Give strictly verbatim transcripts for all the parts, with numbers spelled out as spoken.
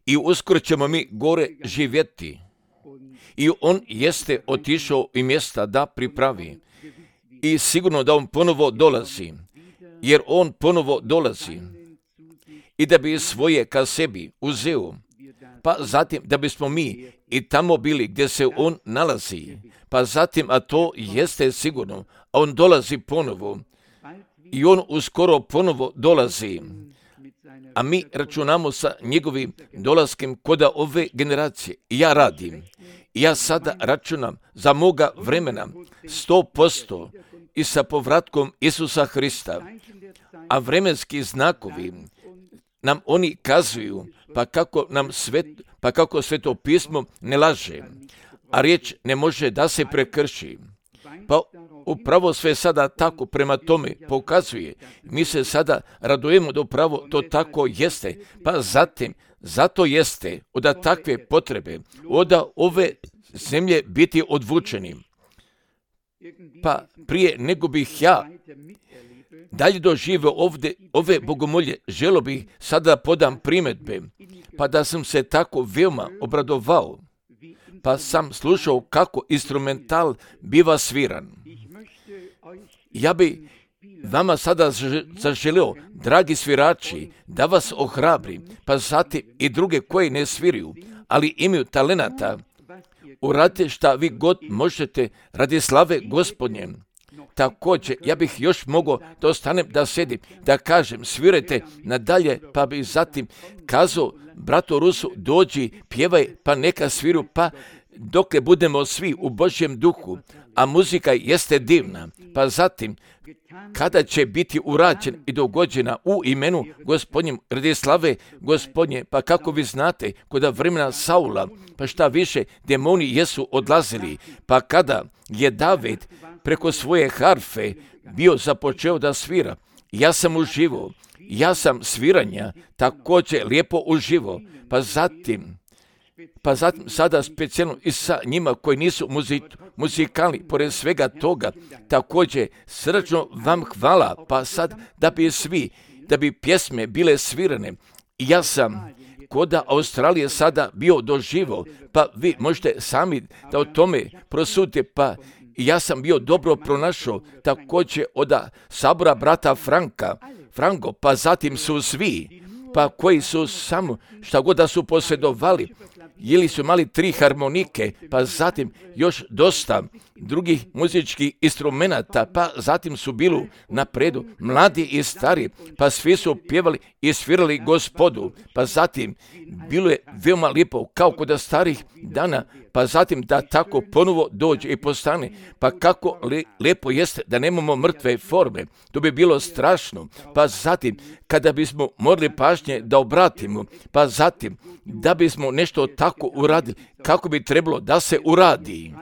I uskoro ćemo mi gore živjeti. I on jeste otišao i mjesta da pripravi. I sigurno da on ponovo dolazi. Jer on ponovo dolazi. I da bi svoje ka sebi uzeo. Pa zatim da bismo mi i tamo bili gdje se on nalazi. Pa zatim, a to jeste sigurno, a on dolazi ponovo. I on uskoro ponovo dolazi. A mi računamo sa njegovim dolaskom kod ove generacije. I ja radim. Ja sada računam za moga vremena sto posto i sa povratkom Isusa Hrista. A vremenski znakovi nam oni kazuju, pa kako nam svet, pa kako Sveto pismo ne laže, a riječ ne može da se prekrši. Pa upravo sve sada tako prema tome pokazuje. Mi se sada radujemo da upravo to tako jeste, pa zatim zato jeste od takve potrebe, od ove zemlje biti odvučeni. Pa prije nego bih ja dalje doživio ovdje ove bogomolje, želo bih sada podam primjedbe, pa da sam se tako veoma obradovao, pa sam slušao kako instrumental biva sviran. Ja bi vama sada zaželio, dragi svirači, da vas ohrabri, pa zatim i druge koji ne sviraju, ali imaju talenata, uradite šta vi god možete radi slave Gospodnje. Također, ja bih još mogao da ostanem da sedim, da kažem, svirajte nadalje, pa bih zatim kazao bratu Rusu, dođi, pjevaj, pa neka sviru, pa dokle budemo svi u Božjem duhu, a muzika jeste divna, pa zatim, kada će biti urađen i dogođena u imenu Gospodnjem, radi slave Gospodnje, pa kako vi znate, kod vremena Saula, pa šta više, demoni jesu odlazili, pa kada je David preko svoje harfe bio započeo da svira, ja sam uživao, ja sam sviranja također lijepo uživao, pa zatim, pa zatim sada specijalno i sa njima koji nisu muzik, muzikalni, pored svega toga, također srdačno vam hvala, pa sad da bi svi, da bi pjesme bile svirane, ja sam kod Australije sada bio doživao, pa vi možete sami da o tome prosudite, pa ja sam bio dobro pronašao također od sabora brata Franka, Franko, pa zatim su svi, pa koji su samo šta god da su posjedovali, ili su imali tri harmonike, pa zatim još dosta drugih muzičkih instrumenata, pa zatim su bili napredu mladi i stari, pa svi su pjevali i svirali Gospodu, pa zatim bilo je veoma lijepo kao kod starih dana, pa zatim da tako ponovo dođe i postane, pa kako li, lijepo jeste da nemamo mrtve forme, to bi bilo strašno, pa zatim kada bismo morali pažnje da obratimo, pa zatim da bismo nešto tako uradili, kako bi trebalo da se uradi.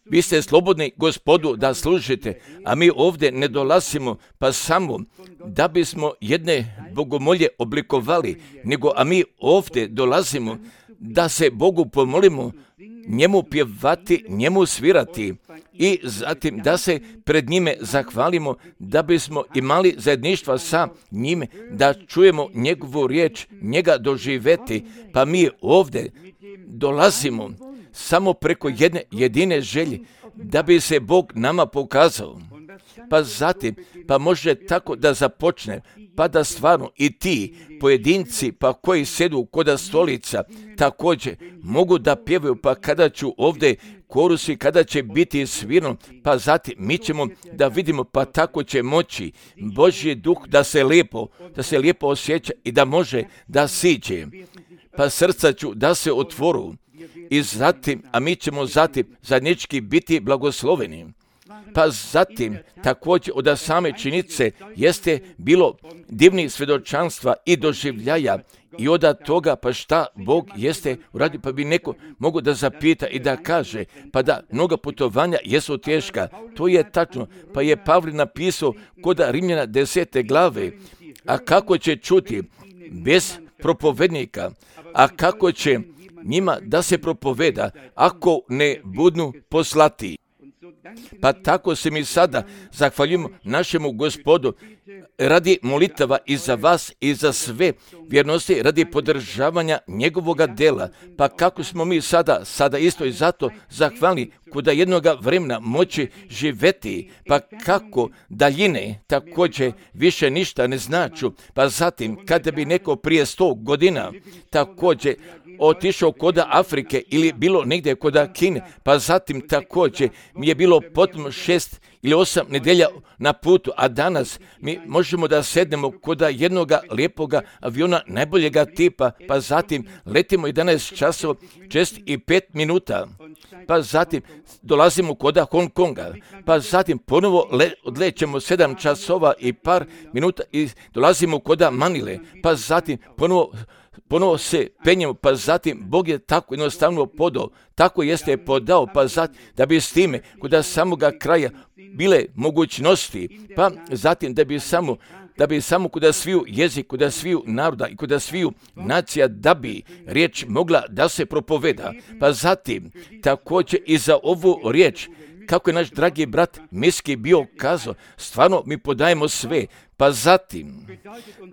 Vi ste slobodni Gospodu da služite, a mi ovdje ne dolazimo pa samo da bismo jedne bogomolje oblikovali, nego a mi ovdje dolazimo da se Bogu pomolimo, njemu pjevati, njemu svirati i zatim da se pred njime zahvalimo, da bismo imali zajedništva sa njime, da čujemo njegovu riječ, njega doživjeti, pa mi ovdje dolazimo samo preko jedne jedine želje, da bi se Bog nama pokazao. Pa zatim, pa može tako da započne, pa da stvarno i ti pojedinci, pa koji sjedu kod stolica, također mogu da pjevaju, pa kada ću ovdje korusi, kada će biti svirno, pa zatim mi ćemo da vidimo, pa tako će moći Božji duh da se lijepo, da se lijepo osjeća i da može da siđe. Pa srca ću da se otvoru i zatim, a mi ćemo zatim zajednički biti blagosloveni. Pa zatim, također od same činjenice jeste bilo divnih svjedočanstva i doživljaja i od toga pa šta Bog jeste uradio, pa bi neko mogu da zapita i da kaže, pa da mnoga putovanja jesu teška, to je tačno, pa je Pavle napisao kod Rimljana desete glave, a kako će čuti bez propovednika, a kako će njima da se propoveda ako ne budu poslati. Pa tako se mi sada zahvaljujemo našemu Gospodu radi molitava i za vas i za sve vjernosti, radi podržavanja njegovoga dela. Pa kako smo mi sada, sada isto i zato zahvalni kuda jednoga vremena moći živeti, pa kako daljine također više ništa ne značu. Pa zatim kada bi neko prije sto godina također otišao koda Afrike ili bilo negdje koda Kine, pa zatim također mi je bilo potom šest ili osam nedelja na putu, a danas mi možemo da sednemo koda jednoga lijepoga aviona najboljega tipa, pa zatim letimo jedanaest časova, šest i pet minuta, pa zatim dolazimo koda Hong Konga, pa zatim ponovo le, odlećemo sedam časova i par minuta i dolazimo koda Manile, pa zatim ponovo Ponovo se penjemo, pa zatim Bog je tako jednostavno podao, tako jeste je podao, pa zatim da bi s time kod samoga kraja bile mogućnosti, pa zatim da bi samo da bi samo kod sviju jezik, kod sviju naroda i kod sviju nacija, da bi riječ mogla da se propoveda. Pa zatim također i za ovu riječ, kako je naš dragi brat Miski bio kazao, stvarno mi podajemo sve, pa zatim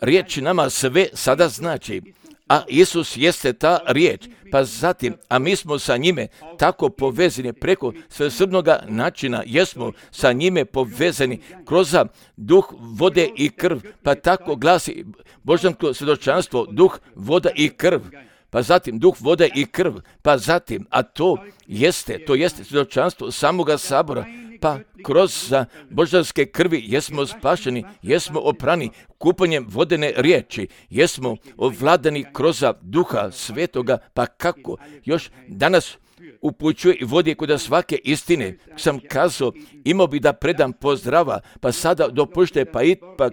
riječ nama sve sada znači. A Isus jeste ta riječ, pa zatim, a mi smo sa njime tako povezani preko svesrdnoga načina, jesmo sa njime povezani kroz duh, vode i krv, pa tako glasi božansko svjedočanstvo, duh, voda i krv. Pa zatim duh, voda i krv, pa zatim, a to jeste, to jeste svjedočanstvo samoga sabora, pa kroz božanske krvi jesmo spašeni, jesmo oprani kupanjem vodene riječi, jesmo ovladani kroz duha svetoga, pa kako još danas upućuje i vodi kod svake istine. Sam kazao, imao bi da predam pozdrava, pa sada dopušte, pa ipak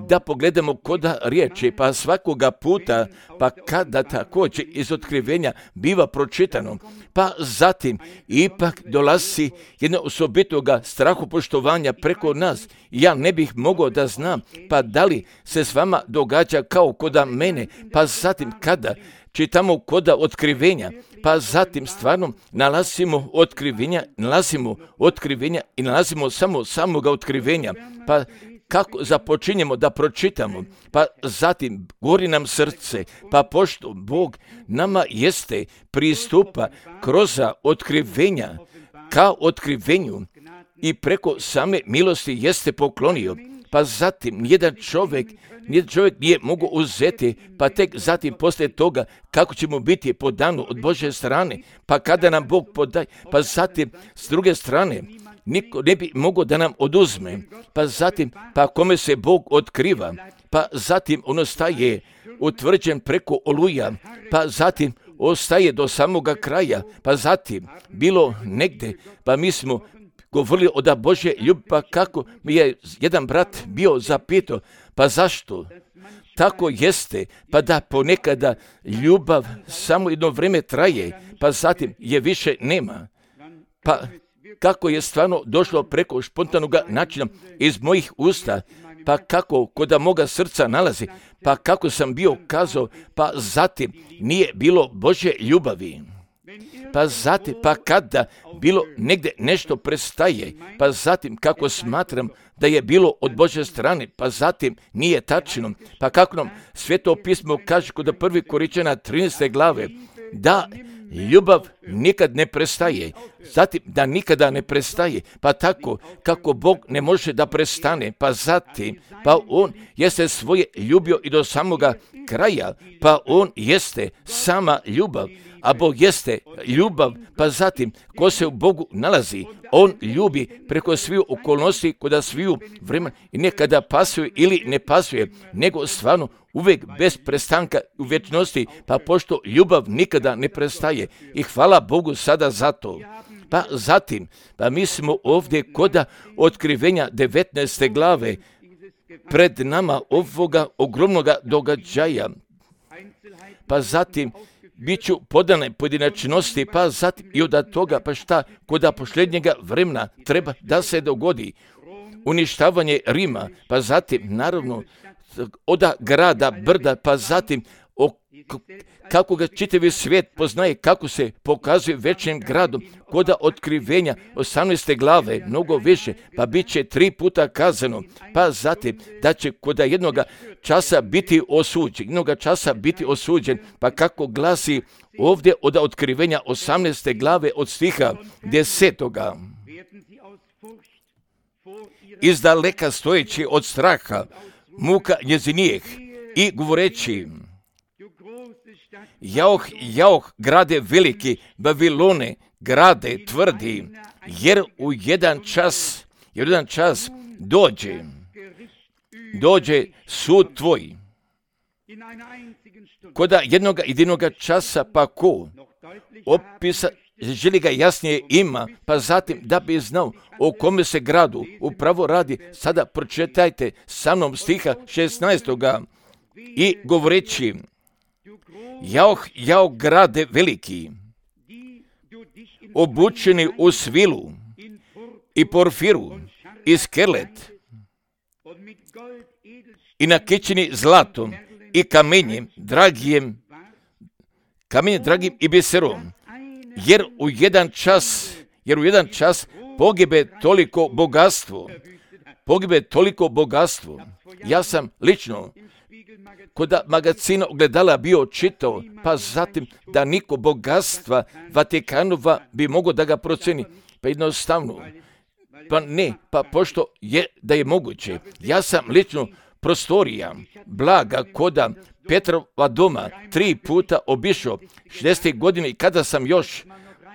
da pogledamo koda riječi, pa svakoga puta, pa kada također iz otkrivenja biva pročitano, pa zatim ipak dolazi jedno osobitoga strahopoštovanja preko nas. Ja ne bih mogao da znam, pa da li se s vama događa kao koda mene, pa zatim kada čitamo koda otkrivenja, pa zatim stvarno nalazimo otkrivenja, nalazimo otkrivenja i nalazimo samo samoga otkrivenja, pa kako započinjemo da pročitamo, pa zatim gori nam srce, pa pošto Bog nama jeste pristupa kroz otkrivenja ka otkrivenju i preko same milosti jeste poklonio, pa zatim nijedan čovjek Nijedan čovjek nije mogu uzeti, pa tek zatim poslije toga kako ćemo biti podanu od Božje strane, pa kada nam Bog podaje, pa zatim s druge strane niko ne bi mogao da nam oduzme, pa zatim pa kome se Bog otkriva, pa zatim on ostaje utvrđen preko oluja, pa zatim ostaje do samoga kraja, pa zatim bilo negdje, pa mi smo govorili o da Božje ljubavi, pa kako mi je jedan brat bio zapitao, pa zašto? Tako jeste, pa da ponekada ljubav samo jedno vrijeme traje, pa zatim je više nema. Pa kako je stvarno došlo preko spontanog načina iz mojih usta, pa kako kod moga srca nalazi, pa kako sam bio kazao, pa zatim nije bilo Božje ljubavi. Pa zatim, pa kada bilo negdje nešto prestaje, pa zatim kako smatram da je bilo od Božje strane, pa zatim nije tačno, pa kako nam Sveto pismo kaže kod prvi Korinćana trinaeste glave, da ljubav nikad ne prestaje, zatim da nikada ne prestaje, pa tako kako Bog ne može da prestane, pa zatim, pa on jeste svoje ljubio i do samoga kraja, pa on jeste sama ljubav, a Bog jeste ljubav, pa zatim ko se u Bogu nalazi, on ljubi preko svih okolnosti, kod sviju vremena i nekada pasuje ili ne pasuje, nego stvarno uvijek bez prestanka u vječnosti, pa pošto ljubav nikada ne prestaje i hvala Bogu sada za to. Pa zatim, pa mi smo ovdje koda otkrivenja devetnaeste glave pred nama ovoga ogromnoga događaja, pa zatim bit ću podane pojedinačnosti, pa zatim i od toga, pa šta koda posljednjega vremena treba da se dogodi. Uništavanje Rima, pa zatim naravno od grada, brda, pa zatim o kako ga čitavi svijet poznaje, kako se pokazuje većim gradom, koda otkrivenja osamnaeste glave, mnogo više, pa bit će tri puta kazano, pa zatim da će koda jednoga časa biti osuđen, jednoga časa biti osuđen, pa kako glasi ovdje od otkrivenja osamnaeste glave od stiha desetoga. Izdaleka stojeći od straha, muka njezinijeh i govoreći, Jauh, jauh, grade veliki, Babilone, grade tvrdi, jer u jedan čas, jer u jedan čas dođe, dođe sud tvoj. Koda jednoga jedinoga časa, pa ko opisa, želi ga jasnije ima, pa zatim da bi znao o kome se gradu upravo radi, sada pročitajte sa mnom stiha šesnaestoga i govoreći, Jauh, jauh, grade veliki, obučeni u svilu i porfiru i skelet i nakićeni zlatom i kamenjem dragijem, kamenjem dragim i biserom, jer u jedan čas, jer u jedan čas pogibe toliko bogatstvo, pogibe toliko bogatstvo. Ja sam lično kod magazina ogledala bio čitao, pa zatim da niko bogatstva Vatikanova bi mogao da ga proceni. Pa jednostavno, pa ne, pa pošto je da je moguće. Ja sam lično prostorija, blaga koda Petrova doma tri puta obišao šezdesetih godine i kada sam još,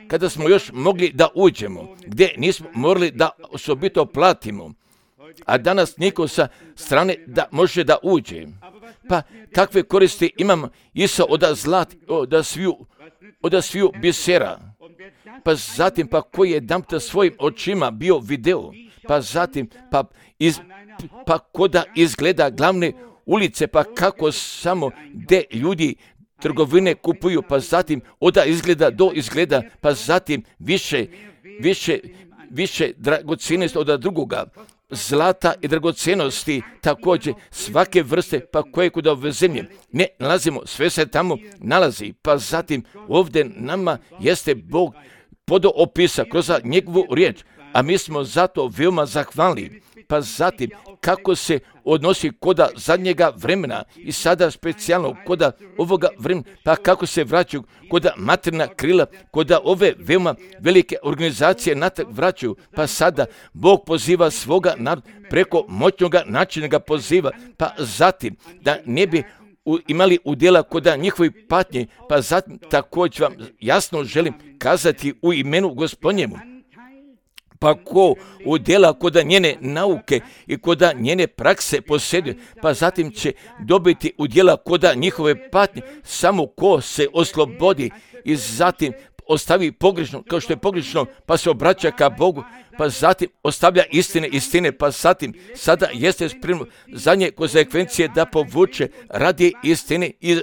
kada smo još mogli da uđemo, gdje nismo morali da osobito platimo, a danas niko sa strane da može da uđe. Pa kakve koristi imam isto od zlat, od sviju, od sviju bisera. Pa zatim, pa koji je damta svojim očima bio video, pa zatim, pa, iz, pa koda izgleda glavne ulice, pa kako samo gdje ljudi trgovine kupuju, pa zatim oda izgleda do izgleda, pa zatim više, više, više dragocjenosti od drugoga. Zlata i dragocenosti, također svake vrste, pa koje kod ove zemlje ne nalazimo, sve se tamo nalazi, pa zatim ovdje nama jeste Bog podoopisa kroz njegovu riječ, a mi smo zato veoma zahvalni. Pa zatim kako se odnosi koda zadnjega vremena i sada specijalno koda ovoga vremena, pa kako se vraćaju koda materina krila, koda ove veoma velike organizacije natrag vraćaju, pa sada Bog poziva svoga naroda preko moćnoga načina ga poziva, pa zatim da ne bi imali udjela koda njihovi patnje, pa zatim također vam jasno želim kazati u imenu Gospodnjemu. Pa ko udjela koda njene nauke i koda njene prakse posjeduje, pa zatim će dobiti udjela koda njihove patnje, samo ko se oslobodi i zatim ostavi pogrešno, kao što je pogrešno, pa se obraća ka Bogu, pa zatim ostavlja istine, istine, pa zatim sada jeste spremno zadnje konsekvencije da povuče radi istine i,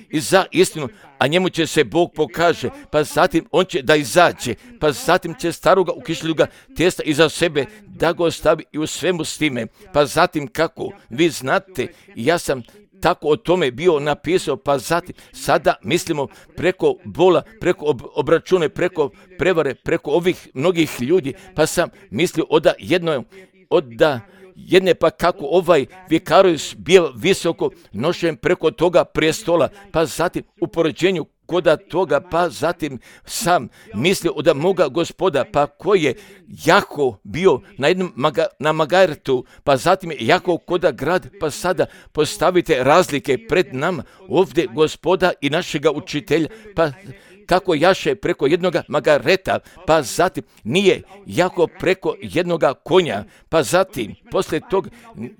i za istinu, a njemu će se Bog pokaže, pa zatim on će da izađe, pa zatim će staroga ukišljuga testa iza sebe da ga ostavi i u svemu s time, pa zatim kako vi znate, ja sam tako o tome bio napisao, pa zatim sada mislimo preko bola, preko ob, obračune, preko prevare, preko ovih mnogih ljudi, pa sam mislio oda jedno, oda jedne pa kako ovaj vikarus bio visoko nošen preko toga prestola, pa zatim u poređenju koda toga, pa zatim sam mislio od moga Gospoda, pa koji je jako bio na jednom maga, na Magartu, pa zatim je jako koda grad, pa sada postavite razlike pred nama, ovdje Gospoda i našega učitelja, pa kako jaše preko jednoga Magareta, pa zatim nije jako preko jednoga konja, pa zatim poslije tog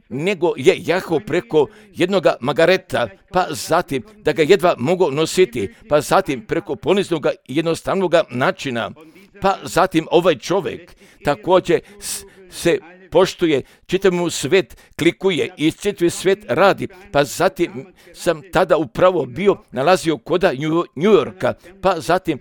nego je jako preko jednoga Magareta, pa zatim da ga jedva mogu nositi, pa zatim preko poniznoga i jednostavnoga načina, pa zatim ovaj čovjek također se poštuje, čitav mu svet klikuje i čitav svet radi. Pa zatim sam tada upravo bio nalazio koda New Yorka, pa zatim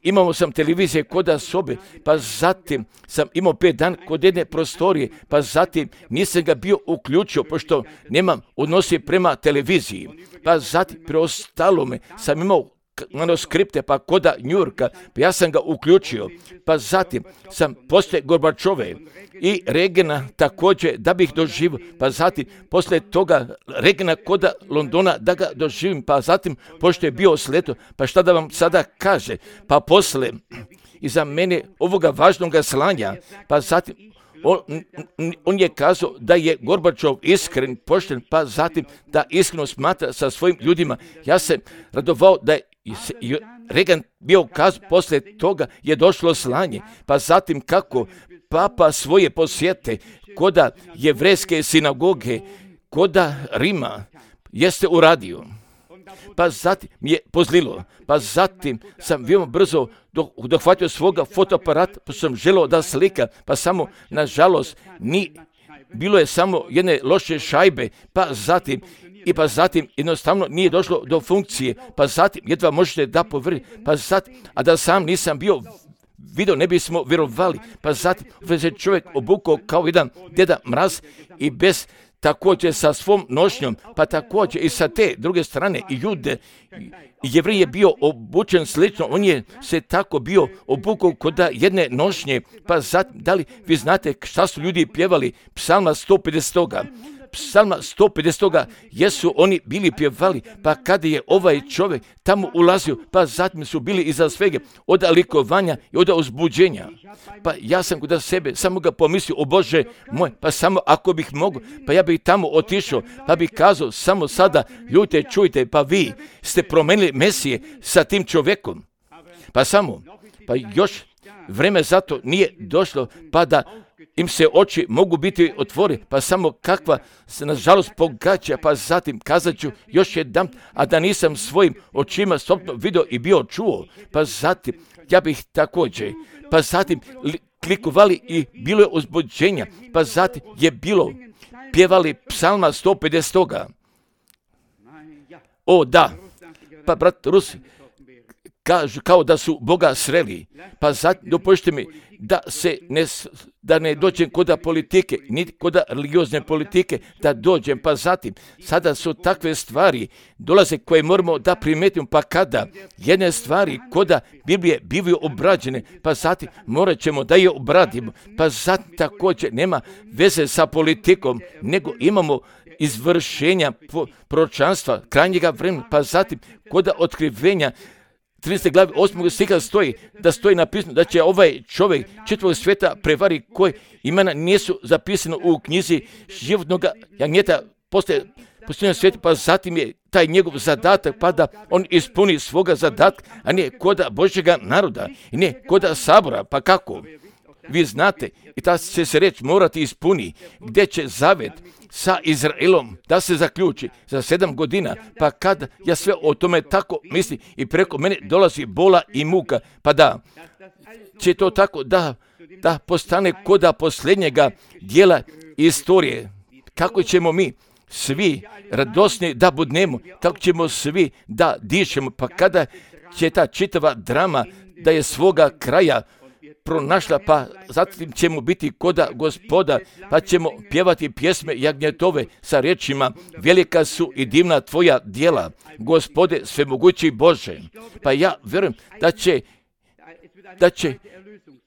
imao sam televizije koda sobe, pa zatim sam imao pet dan kod jedne prostorije, pa zatim nisam ga bio uključio, pošto nemam odnosi prema televiziji. Pa zatim preostalo me sam imao manuskripte pa koda New Yorka, pa ja sam ga uključio. Pa zatim sam poslije Gorbačove i Regena također da bih doživio, pa zatim poslije toga Regena koda Londona da ga doživim, pa zatim pošto je bio sleto, pa šta da vam sada kaže, pa poslije iza mene ovoga važnoga slanja, pa zatim On, on je kazao da je Gorbačov iskren, pošten, pa zatim da iskreno smatra sa svojim ljudima. Ja sam radovao da je Reagan bio kazao, poslije toga je došlo slanje, pa zatim kako papa svoje posjete koda jevrejske sinagoge, koda Rima jeste uradio. Pa zatim mi je pozlilo, pa zatim sam veoma brzo dohvatio svoga fotoaparata, pa sam želio da slika, pa samo, nažalost, ni, bilo je samo jedne loše šajbe, pa zatim, i pa zatim jednostavno nije došlo do funkcije, pa zatim jedva možete da povrti, pa zatim, a da sam nisam bio video, ne bismo vjerovali, pa zatim se čovjek obukao kao jedan deda mraz i bez također sa svom nošnjom, pa također i sa te druge strane i Jude, i Jevrij je bio obučen slično, on je se tako bio obukao kod jedne nošnje, pa zatim, da li vi znate šta su ljudi pjevali? Psalma sto pedeset. Psalma sto pedeset jesu oni bili pjevali, pa kada je ovaj čovjek tamo ulazio, pa zatim su bili iza svega od likovanja i od uzbuđenja. Pa ja sam kod sebe samo ga pomislio, o Bože moj, pa samo ako bih mogao, pa ja bih tamo otišao, pa bih kazao samo sada, ljudite, čujte, pa vi ste promenili Mesije sa tim čovjekom. Pa samo, pa još vreme zato nije došlo, pa da im se oči mogu biti otvori, pa samo kakva se nažalost pogađa, pa zatim kazat ću još jedan, a da nisam svojim očima stopno vidio i bio čuo, pa zatim ja bih također, pa zatim klikovali i bilo je uzbuđenja, pa zatim je bilo pjevali psalma sto pedeset. O da, pa brat Rusi kažu kao da su Boga sreli, pa zatim dopustite mi da se ne, da ne dođem koda politike, niti koda religiozne politike, da dođem, pa zatim sada su takve stvari dolaze koje moramo da primetimo, pa kada jedne stvari koda Biblije bivaju obrađene, pa zatim morat ćemo da je obradimo, pa zatim također nema veze sa politikom, nego imamo izvršenja proročanstva krajnjega vremena, pa zatim koda otkrivenja trinaeste glave osmog stiha stoji, da stoji napisano da će ovaj čovjek čitavog svijeta prevari koji imena nisu zapisano u knjizi životnog jagnjeta poslije posljednjeg svijeta, pa zatim je taj njegov zadatak pa da on ispuni svoga zadatka, a ne koda Božjega naroda i ne koda sabora, pa kako? Vi znate, i ta će se reč morati ispuni, gdje će zavet sa Izraelom da se zaključi za sedam godina, pa kad ja sve o tome tako mislim i preko mene dolazi bola i muka, pa da će to tako da, da postane koda posljednjega dijela istorije. Kako ćemo mi svi radosni da budnemo, kako ćemo svi da dišemo, pa kada će ta čitava drama da je svoga kraja pronašla, pa zatim ćemo biti koda Gospoda, pa ćemo pjevati pjesme jagnjetove sa riječima: velika su i divna tvoja djela, Gospode svemogući Bože. Pa ja vjerujem da će, da će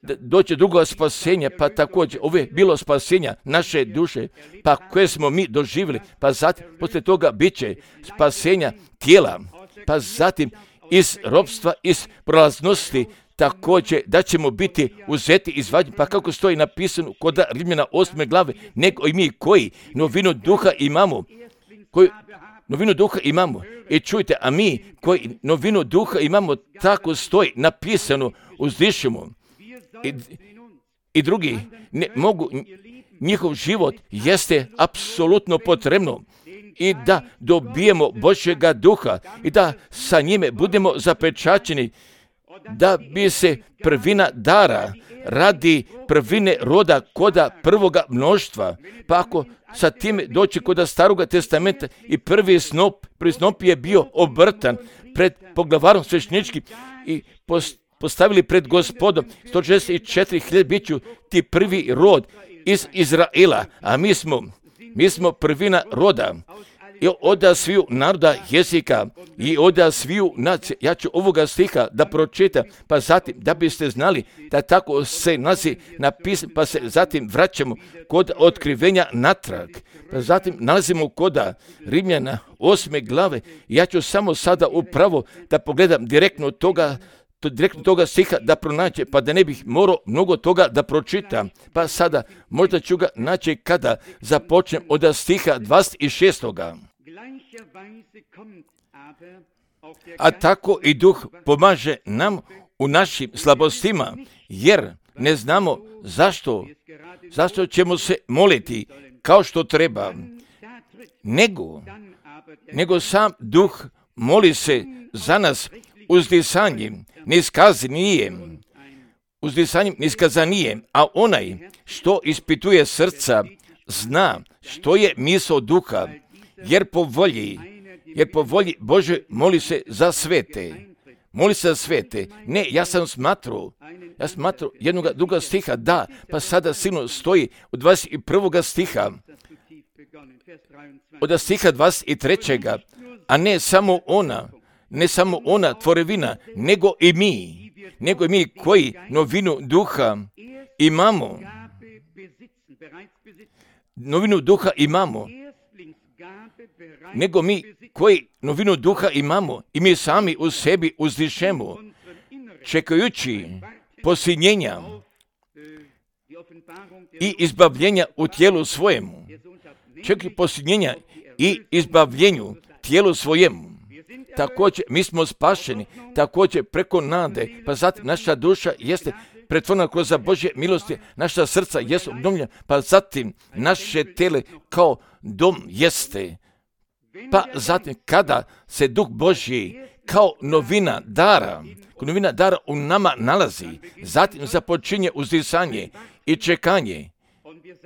da doći drugo spasenje, pa također ovo je bilo spasenja naše duše, pa koje smo mi doživjeli, pa zatim poslije toga bit će spasenja tijela, pa zatim iz ropstva, iz prolaznosti, također da ćemo biti uzeti, izvađeni, pa kako stoji napisano kod Rimljana osme glave, nego i mi koji novinu duha imamo, koji novinu duha imamo, i čujte, a mi koji novinu duha imamo, tako stoji napisano, uzdišemo. I, i drugi ne mogu, njihov život jeste apsolutno potrebno i da dobijemo Božjega duha i da sa njime budemo zapečaćeni da bi se prvina dara radi prvine roda koda prvoga mnoštva. Pa ako sa time doći koda Staroga testamenta i prvi snop, prvi snop je bio obrtan pred poglavarom svešteničkim i postavili pred Gospodom sto šezdeset četiri hiljade biću ti prvi rod iz Izraela, a mi smo, mi smo prvina roda. I oda sviju naroda jezika i oda sviju nacije. Ja ću ovoga stiha da pročitam, pa zatim da biste znali da tako se nalazi napisan, pa se zatim vraćamo kod otkrivenja natrag. Pa zatim nalazimo koda Rimljana osme glave. Ja ću samo sada upravo da pogledam direktno toga To direktno toga stiha da pronaće, pa da ne bih morao mnogo toga da pročitam. Pa sada možda ću ga naći kada započnem od stiha dvadeset šestog. A tako i Duh pomaže nam u našim slabostima, jer ne znamo zašto, zašto ćemo se moliti kao što treba, nego, nego sam Duh moli se za nas uzdisanjem, niskazanijem, uzdisanjem, niskazanijem, a onaj što ispituje srca zna što je misao Duha, jer po volji, jer po volji Bože moli se za svete. Moli se za svete. Ne, ja sam smatrao, ja smatrao jednog druga stiha, da, pa sada sigurno stoji od dvadeset prvog stiha, od stiha dvadeset trećeg, a ne samo ona, ne samo ona tvorevina, nego i mi, nego i mi koji novinu Duha imamo, novinu Duha imamo, nego mi koji novinu Duha imamo i mi sami u sebi uzdišemo, čekajući posiljenja i izbavljenja u tijelu svojemu, čekajući posiljenja i izbavljenju tijelu svojemu. Također, mi smo spašeni, također preko nade, pa zatim naša duša jeste pretvorena kroz Božje milosti, naša srca jesu obnovljena, pa zatim naše tele kao dom jeste. Pa zatim kada se Duh Božji kao novina dara, kao novina dara u nama nalazi, zatim započinje uzdisanje i čekanje.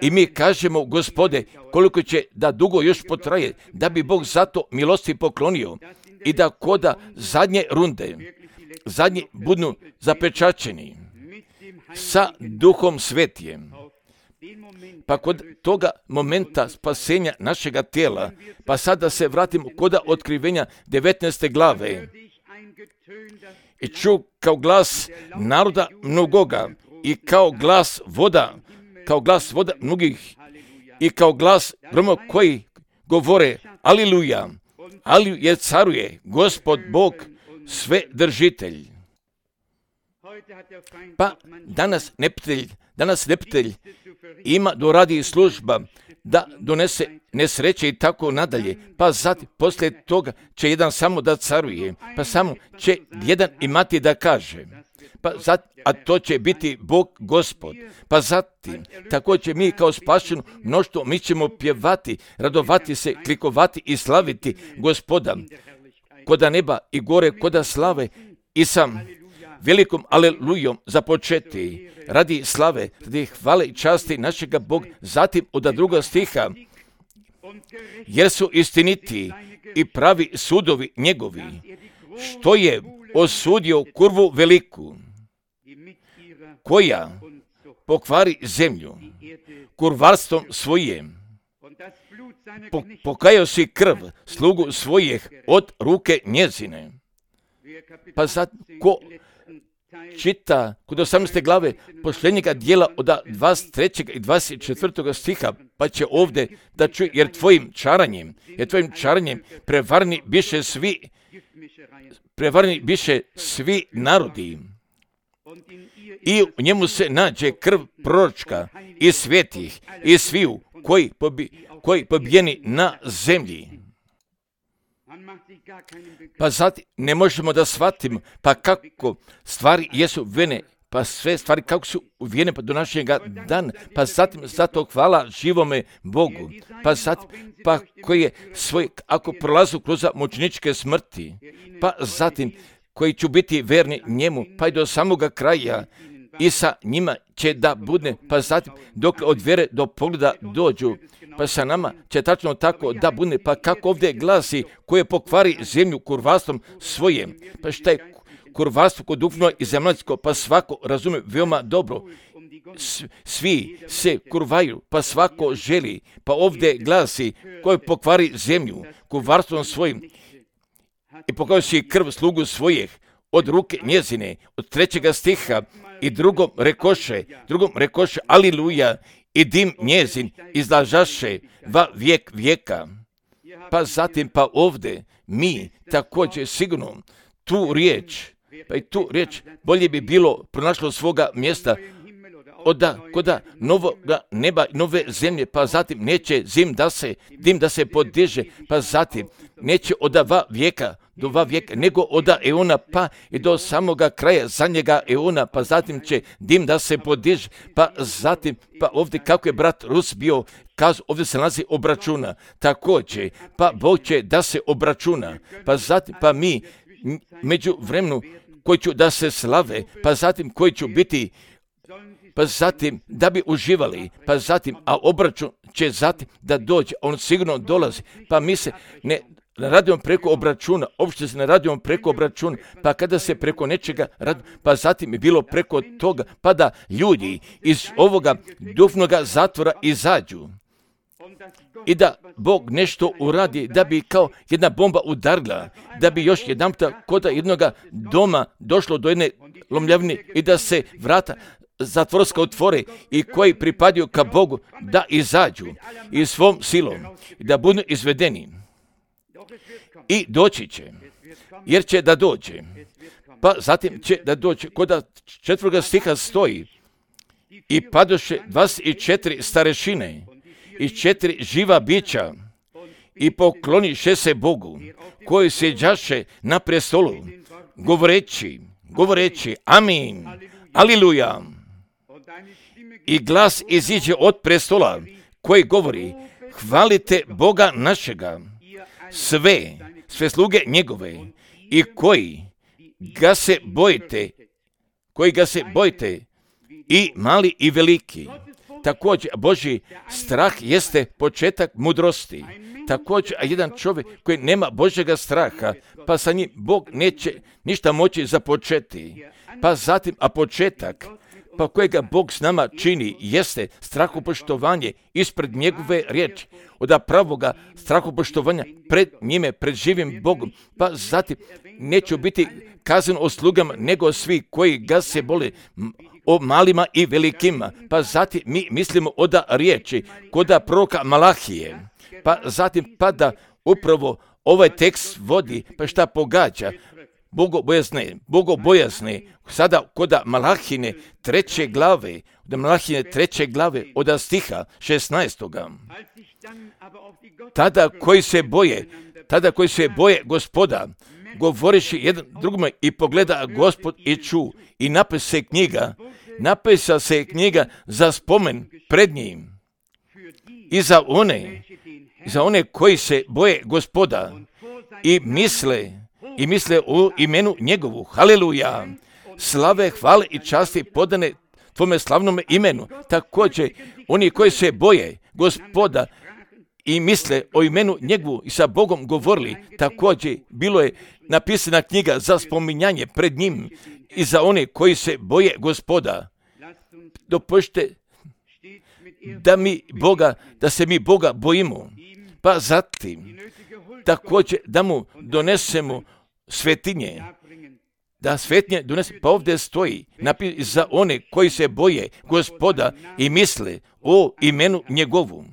I mi kažemo, Gospode, koliko će da dugo još potraje, da bi Bog zato milosti poklonio i da koda zadnje runde, zadnji budu zapečačeni sa Duhom Svetijem. Pa kod toga momenta spasenja našega tijela, pa sada se vratimo koda otkrivenja devetnaeste glave. I ču kao glas naroda mnogoga i kao glas voda, kao glas voda mnogih i kao glas groma koji govore Aliluja, Aliluja caruje, Gospod Bog, sve držitelj. Pa danas neprijatelj, danas neprijatelj ima doradi služba da donese nesreće i tako nadalje. Pa zatim, poslije toga će jedan samo da caruje, pa samo će jedan imati da kaže. Pa zatim, a to će biti Bog Gospod. Pa zatim, također mi kao spašeno mnoštvo, mi ćemo pjevati, radovati se, klikovati i slaviti Gospoda. Koda neba i gore, koda slave i sam velikom alelujom započeti radi slave, radi hvale i časti našega Boga. Zatim od druga stiha, jer su istiniti i pravi sudovi njegovi, što je osudio kurvu veliku, koja pokvari zemlju kurvarstvom svojim. Po, pokajao si krv slugu svojih od ruke njezine. Pa sad, ko čita kod osamnaeste glave posljednjega dijela od dvadeset trećeg i dvadeset četvrtog stiha, pa će ovdje da čuje, jer tvojim čaranjem, jer tvojim čaranjem prevarni biše svi, prevarni biše svi narodi. I u njemu se nađe krv proročka i svetih i sviju koji, pobi, koji pobijeni na zemlji. Pa zatim ne možemo da shvatimo pa kako stvari jesu vene, pa sve stvari kako su uvijene pa do našega dana, pa zatim zato hvala živome Bogu, pa zatim pa koji je svoj, ako prolazu kroz mučeničke smrti, pa zatim koji će biti verni njemu, pa i do samoga kraja, i sa njima će da bude, pa zatim dok od vjere do pogleda dođu, pa sa nama će tačno tako da bude, pa kako ovdje glasi, koje pokvari zemlju kurvarstvom svojim, pa šta je kurvarstvo kod duhovno i zemaljsko, pa svako razume veoma dobro. Svi se kurvaju, pa svako želi, pa ovdje glasi, koje pokvari zemlju kurvarstvom svojim i pokazuje si krv slugu svojih od ruke njezine, od trećega stiha, i drugom rekoše, drugom rekoše, aliluja, i dim njezin izlažaše va vijek vijeka. Pa zatim, pa ovdje, mi također sigurno tu riječ, pa i tu riječ bolje bi bilo pronašlo svoga mjesta oda, koda novoga neba, nove zemlje, pa zatim neće zim da se, dim da se podiže, pa zatim neće od va vijeka do va vijeka, nego od eona pa i do samoga kraja zadnjega eona, pa zatim će dim da se podiže, pa zatim, pa ovdje kako je brat Rus bio, kazu, ovdje se nalazi obračuna, također, pa Bog će da se obračuna, pa zatim, pa mi među vremenu koji ću da se slave, pa zatim koji ću biti, pa zatim da bi uživali, pa zatim, a obračun će zatim da dođe, on sigurno dolazi, pa mi se ne radimo preko obračuna, uopšte se ne radimo preko obračuna, pa kada se preko nečega radi, pa zatim je bilo preko toga, pa da ljudi iz ovoga duhovnoga zatvora izađu i da Bog nešto uradi, da bi kao jedna bomba udarila, da bi još jedanputa kod jednoga doma došlo do jedne lomljavine i da se vrata zatvorska otvore i koji pripadaju ka Bogu da izađu i svom silom i da budu izvedeni. I doći će, jer će da dođe. Pa zatim će da dođe, kod četvrtoga stiha stoji, i padoše dvadeset četiri starešine i četiri živa bića i pokloniše se Bogu, koji sjeđaše na prestolu, govoreći, govoreći, amin, aliluja. I glas iziđe od prestola, koji govori, hvalite Boga našega, sve, sve sluge njegove, i koji ga se bojite, koji ga se bojite, i mali i veliki. Također, Božji strah jeste početak mudrosti. Također, a jedan čovjek koji nema Božjega straha, pa sa njim Bog neće ništa moći započeti. Pa zatim, a početak, pa kojega Bog s nama čini, jeste strahopoštovanje ispred njegove riječi, od pravoga strahopoštovanja pred njime, pred živim Bogom, pa zatim neću biti kazan o slugama, nego svi koji ga se bole, o malima i velikima, pa zatim mi mislimo od riječi, kod proroka Malahije, pa zatim pa da upravo ovaj tekst vodi, pa šta pogađa, bogobojazne, bogobojazne, sada kod Malahine treće glave, od Malahine treće glave, od stiha šesnaestoga. Tada koji se boje, tada koji se boje Gospoda, govoriši jedan drugome i pogleda Gospod i ču, i napisa se knjiga, napisa se knjiga za spomen pred njim. I za one, za one koji se boje Gospoda i misle, i misle o imenu njegovu, haleluja, slave, hvale i časti podane tvome slavnome imenu. Također, oni koji se boje Gospoda i misle o imenu njegovu i sa Bogom govorili, također bilo je napisana knjiga za spominjanje pred njim i za one koji se boje Gospoda. Dopušte da mi Boga, da se mi Boga bojimo, pa zatim također da mu donesemo svetinje, da svetinje donese, pa ovdje stoji napis za one koji se boje Gospoda i misle o imenu njegovu.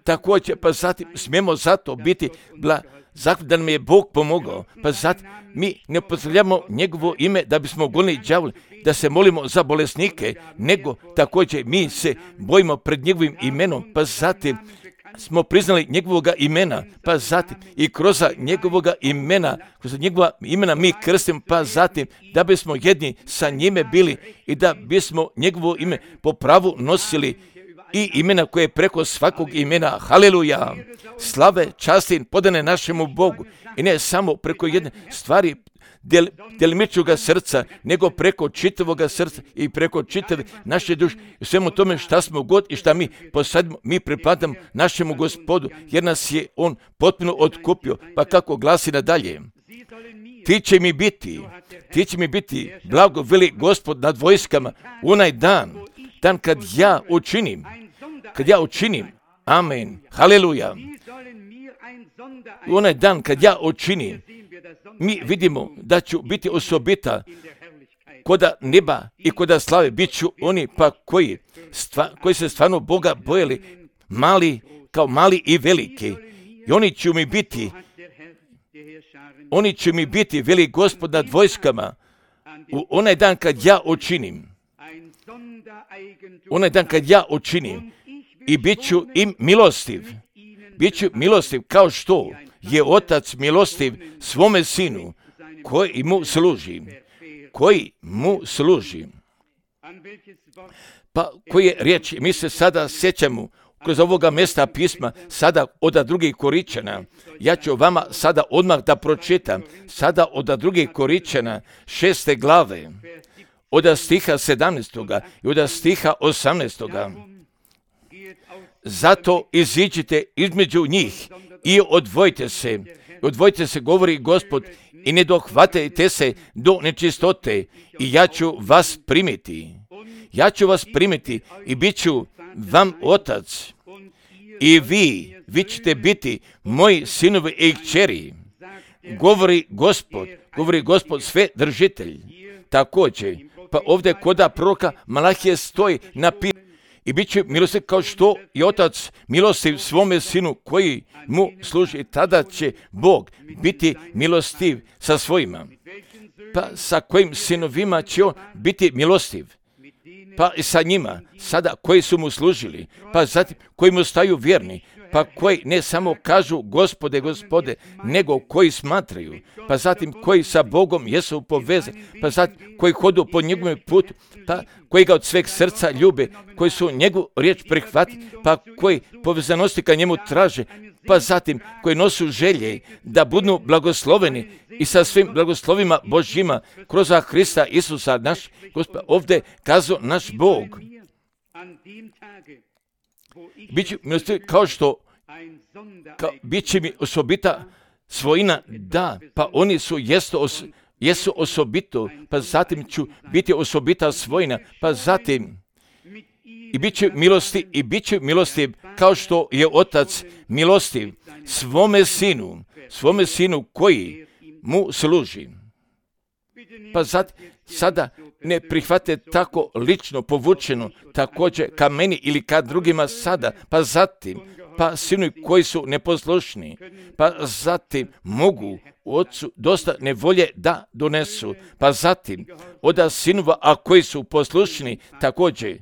Također, pa zatim smijemo zato biti bla, zato da nam je Bog pomogao, pa zatim mi ne upotrebljavamo njegovo ime da bismo gonili đavole, da se molimo za bolesnike, nego također mi se bojimo pred njegovim imenom, pa zatim smo priznali njegovoga imena, pa zatim i kroz njegovoga imena, kroz njegova imena mi krstimo, pa zatim da bismo jedni sa njime bili i da bismo njegovo ime po pravu nosili i imena koje je preko svakog imena. Haleluja! Slave, časti podane našemu Bogu. I ne samo preko jedne stvari del, delimičnoga srca, nego preko čitavoga srca i preko čitave naše duše. I svemu tome šta smo god i šta mi posadimo, mi pripadamo našemu Gospodu, jer nas je On potpuno otkupio. Pa kako glasi nadalje? Ti će mi biti, ti će mi biti, blago veli Gospod nad vojskama, u onaj dan, dan kad ja učinim, kad ja učinim, amen, haleluja, u onaj dan kad ja učinim, mi vidimo da ću biti osobita koda neba i koda slave, bit ću oni pa koji, stva, koji se stvarno Boga bojali, mali kao mali i veliki, i oni će mi biti, oni će mi biti, veli Gospod nad vojskama, u onaj dan kad ja učinim, onaj dan kad ja učinim, i bit ću im milostiv, bit ću milostiv kao što je Otac milostiv svome Sinu, koji mu služi, koji mu služi. Pa koje riječi, mi se sada sjećamo kroz ovoga mjesta pisma, sada od drugih Koričana. Ja ću vama sada odmah da pročitam, sada od drugih Koričana, šeste glave, od stiha sedamnaestoga i od stiha osamnaestoga. Zato iziđite između njih i odvojite se, odvojite se, govori Gospod, i ne dohvatajte se do nečistote, i ja ću vas primiti. Ja ću vas primiti i bit ću vam otac, i vi, vi ćete biti moji sinovi i kćeri, govori Gospod, govori Gospod sve držitelj. Također, pa ovdje koda proroka Malahije stoji napisano, i bit će milostiv kao što je Otac milostiv svome Sinu koji mu služi. Tada će Bog biti milostiv sa svojima. Pa sa kojim sinovima će On biti milostiv? Pa i sa njima, sada koji su mu služili, pa zatim koji mu staju vjerni, pa koji ne samo kažu Gospode, Gospode, nego koji smatraju, pa zatim koji sa Bogom jesu povezani, pa zatim koji hodu po njegovom putu, pa koji ga od sveg srca ljube, koji su njegovu riječ prihvatili, pa koji povezanosti ka njemu traže, pa zatim koji nosu želje da budu blagosloveni i sa svim blagoslovima Božjima kroz Hrista Isusa naš Gospod. Ovdje kazao naš Bog. Biće milostivi kao što kao, bit će mi osobita svojina, da, pa oni su jesu, os, jesu osobito, pa zatim ću biti osobita svojina, pa zatim i bit će milosti, i bit će milostiv kao što je Otac milostiv svome Sinu, svome Sinu koji mu služi. Pa zatim, sada ne prihvate tako lično povučeno, također ka meni ili ka drugima sada, pa zatim, pa sinu koji su neposlušni, pa zatim mogu Otcu dosta nevolje da donesu, pa zatim od sinova, a koji su poslušni, također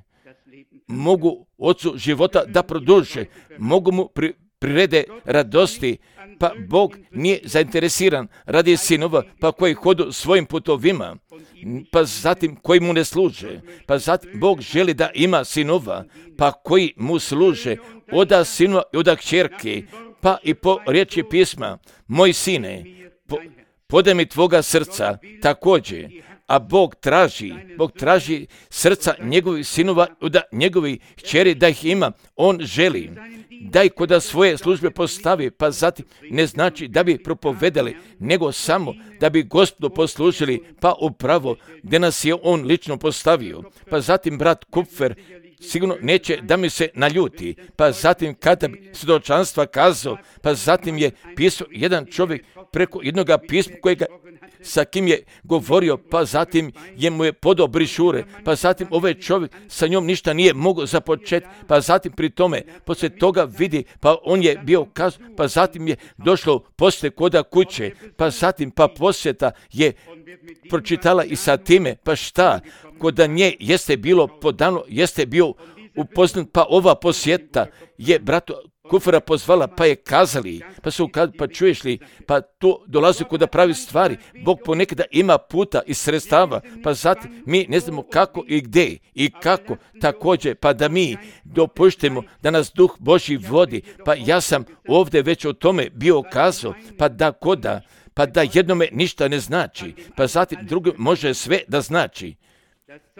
mogu Otcu života da produže, mogu mu pri, prirede radosti, pa Bog nije zainteresiran radi sinova, pa koji hodu svojim putovima, pa zatim koji mu ne služe, pa zatim Bog želi da ima sinova, pa koji mu služe, oda sinova i oda kćerke, pa i po riječi pisma, moj sine, po, podaj mi tvoga srca, također, a Bog traži, Bog traži srca njegovih sinova, da njegovi kćeri da ih ima, On želi da ih kod svoje službe postavi, pa zatim ne znači da bi propovedali, nego samo da bi Gospodu poslužili, pa upravo gdje nas je On lično postavio. Pa zatim brat Kupfer sigurno neće da mi se naljuti, pa zatim kada bi svjedočanstva kazao, pa zatim je pisao jedan čovjek preko jednoga pisma kojega sa kim je govorio, pa zatim je mu je podao brišure, pa zatim ovaj čovjek sa njom ništa nije mogao započeti, pa zatim pri tome, poslije toga vidi, pa on je bio kazao, pa zatim je došlo poslije koda kuće, pa zatim pa posjeta je pročitala i sa time, pa šta, koda nje jeste bilo podano, jeste bio upoznat, pa ova posjeta je bratu Kufera pozvala, pa je kazali, pa su kazali, pa čuješ li, pa to dolazi kod da pravi stvari. Bog ponekada ima puta i sredstava, pa zatim mi ne znamo kako i gdje i kako također, pa da mi dopuštimo da nas Duh Božji vodi. Pa ja sam ovdje već o tome bio kazao, pa da koda, pa da jednome ništa ne znači, pa zatim drugom može sve da znači.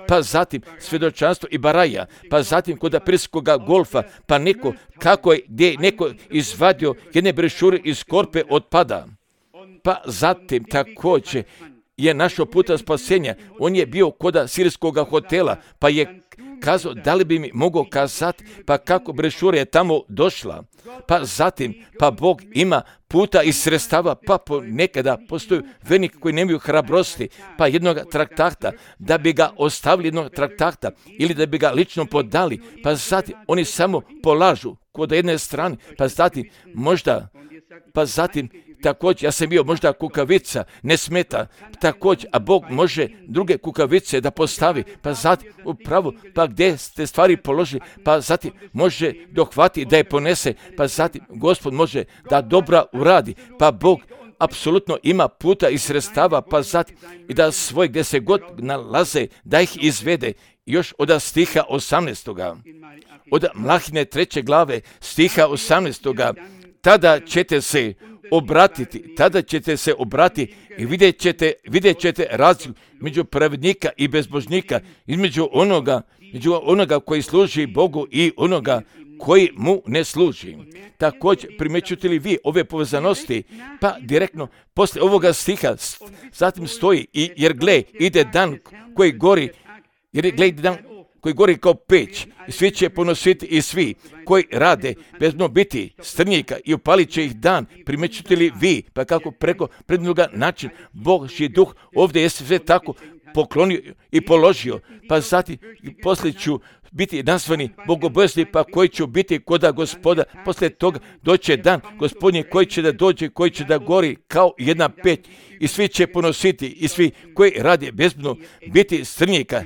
Pa zatim svjedočanstvo i baraja, pa zatim kod aprilskoga golfa, pa neko, kako je, gdje je neko izvadio jedne brešure iz korpe otpada. Pa zatim također je našao puta spasenja. On je bio kod sirijskoga hotela, pa je kazao da li bi mi mogao kazati, pa kako brešura je tamo došla. Pa zatim, pa Bog ima puta i sredstava, pa ponekada postoji vernik koji nemaju hrabrosti, pa jednog traktata, da bi ga ostavili jednog traktata ili da bi ga lično podali, pa zatim oni samo polažu kod jedne strane, pa zatim možda, pa zatim također, ja sam bio možda kukavica, ne smeta, također, a Bog može druge kukavice da postavi, pa zatim upravo, pa gdje ste stvari položili, pa zatim može dohvati da je ponese, pa zatim Gospod može da dobra uradi, pa Bog apsolutno ima puta i sredstava, pa zatim i da svoj gdje se god nalaze, da ih izvede. Još od stiha osamnaestoga od Mlahine treće glave, stiha osamnaestoga tada ćete se obratiti, tada ćete se obratiti i vidjet ćete, vidjet ćete razliku među pravednika i bezbožnika, između onoga, među onoga koji služi Bogu i onoga koji mu ne služi. Također, primjećujete li vi ove povezanosti? Pa direktno, poslije ovoga stiha, zatim stoji, i, jer gle, ide dan koji gori, jer gle, ide dan koji gori kao peć, i svi će ponositi i svi koji rade bezno biti strnjika i upalit će ih dan. Primjećujete li vi, pa kako preko prednoga način Božji duh ovdje je sve tako poklonio i položio, pa zatim poslije ću biti nazvani bogobojazni, pa koji ću biti koda Gospoda. Poslije toga doće dan Gospodnji koji će da dođe, koji će da gori kao jedna peć, i svi će ponositi i svi koji rade bezbno biti strnjika.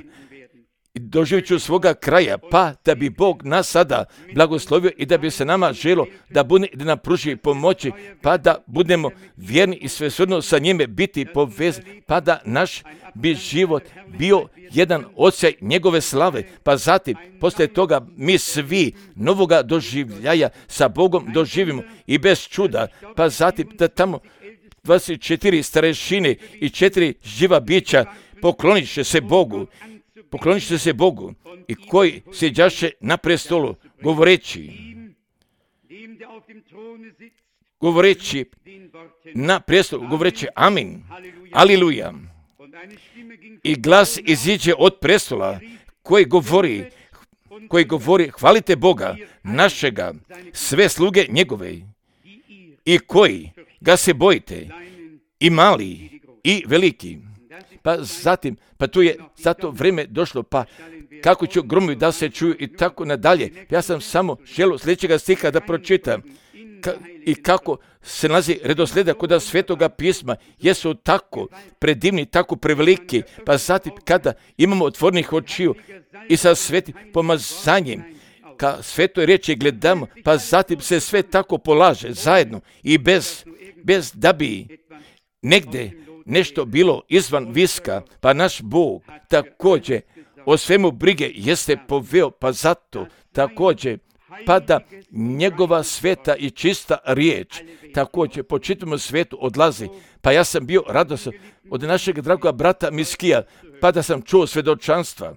Doživit ću svoga kraja, pa da bi Bog nas sada blagoslovio i da bi se nama želo da bude, da nam pruži pomoći, pa da budemo vjerni i svesrdno sa njime biti povezani, pa da naš bi život bio jedan osjaj njegove slave, pa zatim poslije toga mi svi novoga doživljaja sa Bogom doživimo i bez čuda, pa zatim da tamo dvadeset četiri starešine i četiri živa bića poklonit će se Bogu, poklonit će se Bogu i koji sjeđaše na prestolu, govoreći, govoreći na prestolu, govoreći amin, aliluja. I glas iziđe od prestola koji govori, koji govori, hvalite Boga našega, sve sluge njegove, i koji ga se bojite, i mali i veliki. Pa zatim, pa tu je zato vrijeme došlo, pa kako ću gromovi da se čuju i tako nadalje. Ja sam samo želio sljedećega stiha da pročitam. Ka, i kako se nalazi redoslijeda kod Svetoga pisma, jesu tako predivni, tako preveliki, pa zatim kada imamo otvornih očiju i sa svetim pomazanjem, ka svetoj riječi gledamo, pa zatim se sve tako polaže zajedno i bez, bez da bi negdje nešto bilo izvan viska, pa naš Bog također o svemu brige jeste poveo, pa zato također pa da njegova sveta i čista riječ također po čitavom svijetu odlazi. Pa ja sam bio radosan od našeg dragoga brata Miskija, pa da sam čuo svjedočanstva.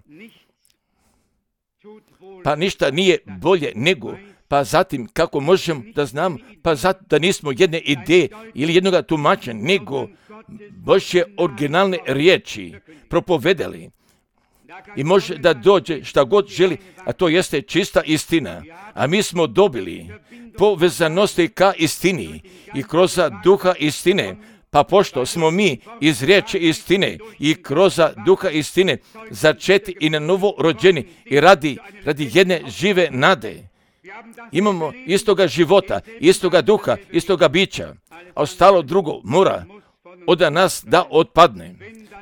Pa ništa nije bolje nego, pa zatim kako možemo da znamo, pa zato da nismo jedne ideje ili jednoga tumačenja, nego Božje originalne riječi propovedali. I može da dođe šta god želi, a to jeste čista istina. A mi smo dobili povezanosti ka istini i kroz duha istine. Pa pošto smo mi iz riječi istine i kroz duha istine začeti i na novo rođeni i radi, radi jedne žive nade. Imamo istoga života, istoga duha, istoga bića, a ostalo drugo mora od nas da otpadne.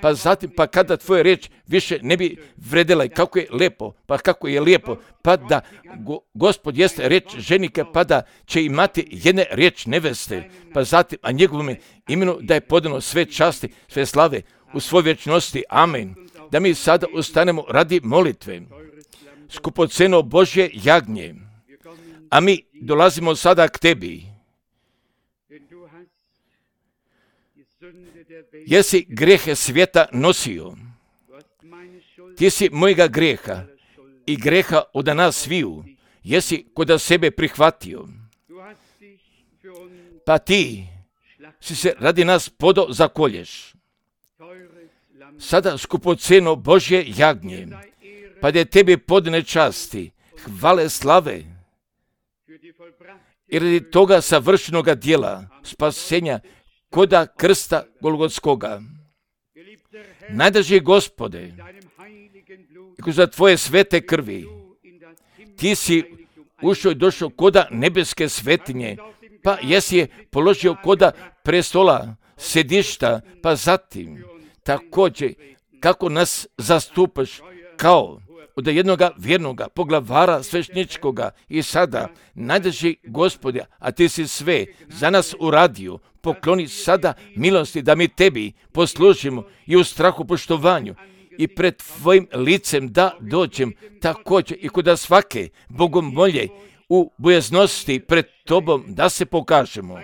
pa zatim, pa kada tvoja riječ više ne bi vredela i kako je lijepo, pa kako je lijepo, pa da go, Gospod jeste riječ ženike, pa da će imati jedne riječ neveste, pa zatim, a njegovom imenu da je podano sve časti, sve slave u svoj vječnosti. Amen. Da mi sada ustanemo radi molitve. Skupoceno Božje jagnje, a mi dolazimo sada k tebi. Jesi grijehe svijeta nosio, ti si mojega grijeha i grijeha od nas sviju, jesi kod sebe prihvatio, pa ti si se radi nas podo zakolješ. Sada skupoceno Božje jagnje, pa da je tebi podne časti, hvale, slave, i radi toga savršenoga djela, spasenja, koda krsta Golgotskoga. Najdraži Gospode, i kroz tvoje svete krvi, ti si ušao i došao koda nebeske svetinje, pa jesi je položio koda prestola, sedišta, pa zatim također kako nas zastupaš kao od jednoga vjernoga poglavara svešničkoga i sada, najdraži Gospode, a ti si sve za nas uradio, pokloni sada milosti da mi tebi poslužimo i u strahu poštovanju i pred tvojim licem da dođem također i kod svake bogomolje u bojaznosti pred tobom da se pokažemo.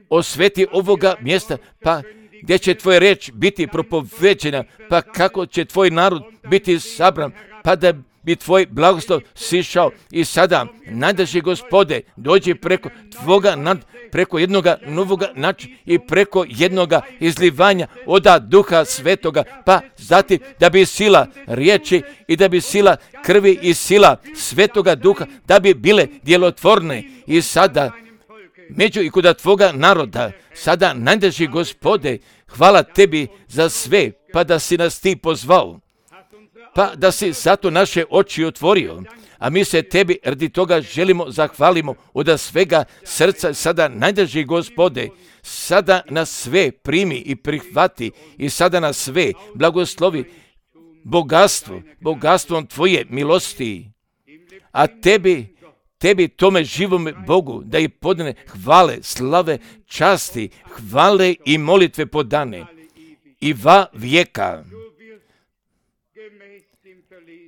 Osveti ovoga mjesta, pa gdje će tvoja riječ biti propoveđena, pa kako će tvoj narod biti sabran, pa da bi tvoj blagoslov sišao i sada, najdraži Gospode, dođi preko tvoga nad, preko jednoga novoga načina i preko jednoga izlivanja oda Duha Svetoga, pa zatim da bi sila riječi i da bi sila krvi i sila Svetoga Duha, da bi bile djelotvorne i sada među i kod tvoga naroda, sada najdraži Gospode, hvala tebi za sve, pa da si nas ti pozvao, pa da si zato naše oči otvorio, a mi se tebi radi toga želimo zahvalimo od svega srca. Sada najdraži Gospode, sada nas sve primi i prihvati i sada nas sve blagoslovi bogatstvo, bogatstvom tvoje milosti, a tebi Tebi tome živome Bogu da i podane hvale, slave, časti, hvale i molitve podane i va vijeka.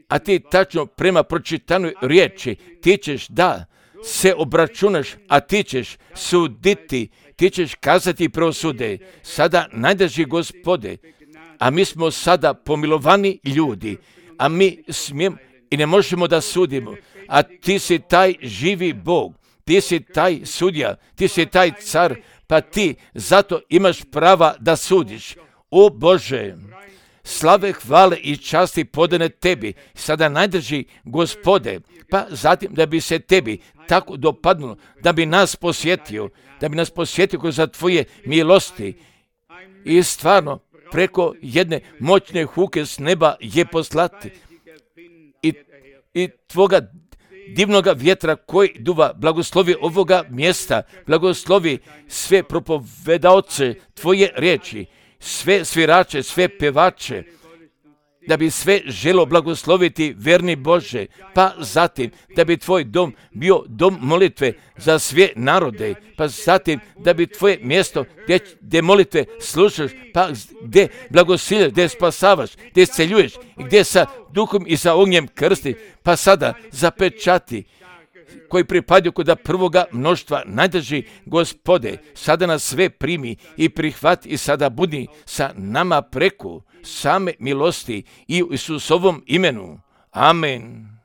A ti tačno prema pročitanoj riječi ti ćeš da se obračunaš, a ti ćeš suditi, ti ćeš kazati preosude. Sada najdraži Gospode, a mi smo sada pomilovani ljudi, a mi smijemo i ne možemo da sudimo, a ti si taj živi Bog, ti si taj sudja, ti si taj car, pa ti zato imaš prava da sudiš. O Bože, slave, hvale i časti podane tebi, sada najdraži Gospode, pa zatim da bi se tebi tako dopadnulo, da bi nas posjetio, da bi nas posjetio kroz tvoje milosti i stvarno preko jedne moćne huke s neba je poslati i, i tvoga divnoga vjetra koji duva, blagoslovi ovoga mjesta, blagoslovi sve propovedaoce tvoje riječi, sve svirače, sve pevače, da bi sve želo blagosloviti verni Bože, pa zatim da bi tvoj dom bio dom molitve za sve narode, pa zatim da bi tvoje mjesto gdje, gdje molitve slušaš, pa gdje blagosiljaš, gdje spasavaš, gdje isceljuješ i gdje sa duhom i sa ognjem krsti, pa sada zapečati koji pripadaju kod prvoga mnoštva, najdraži Gospode, sada nas sve primi i prihvati i sada budi sa nama preko same milosti i u Isusovom imenu. Amen.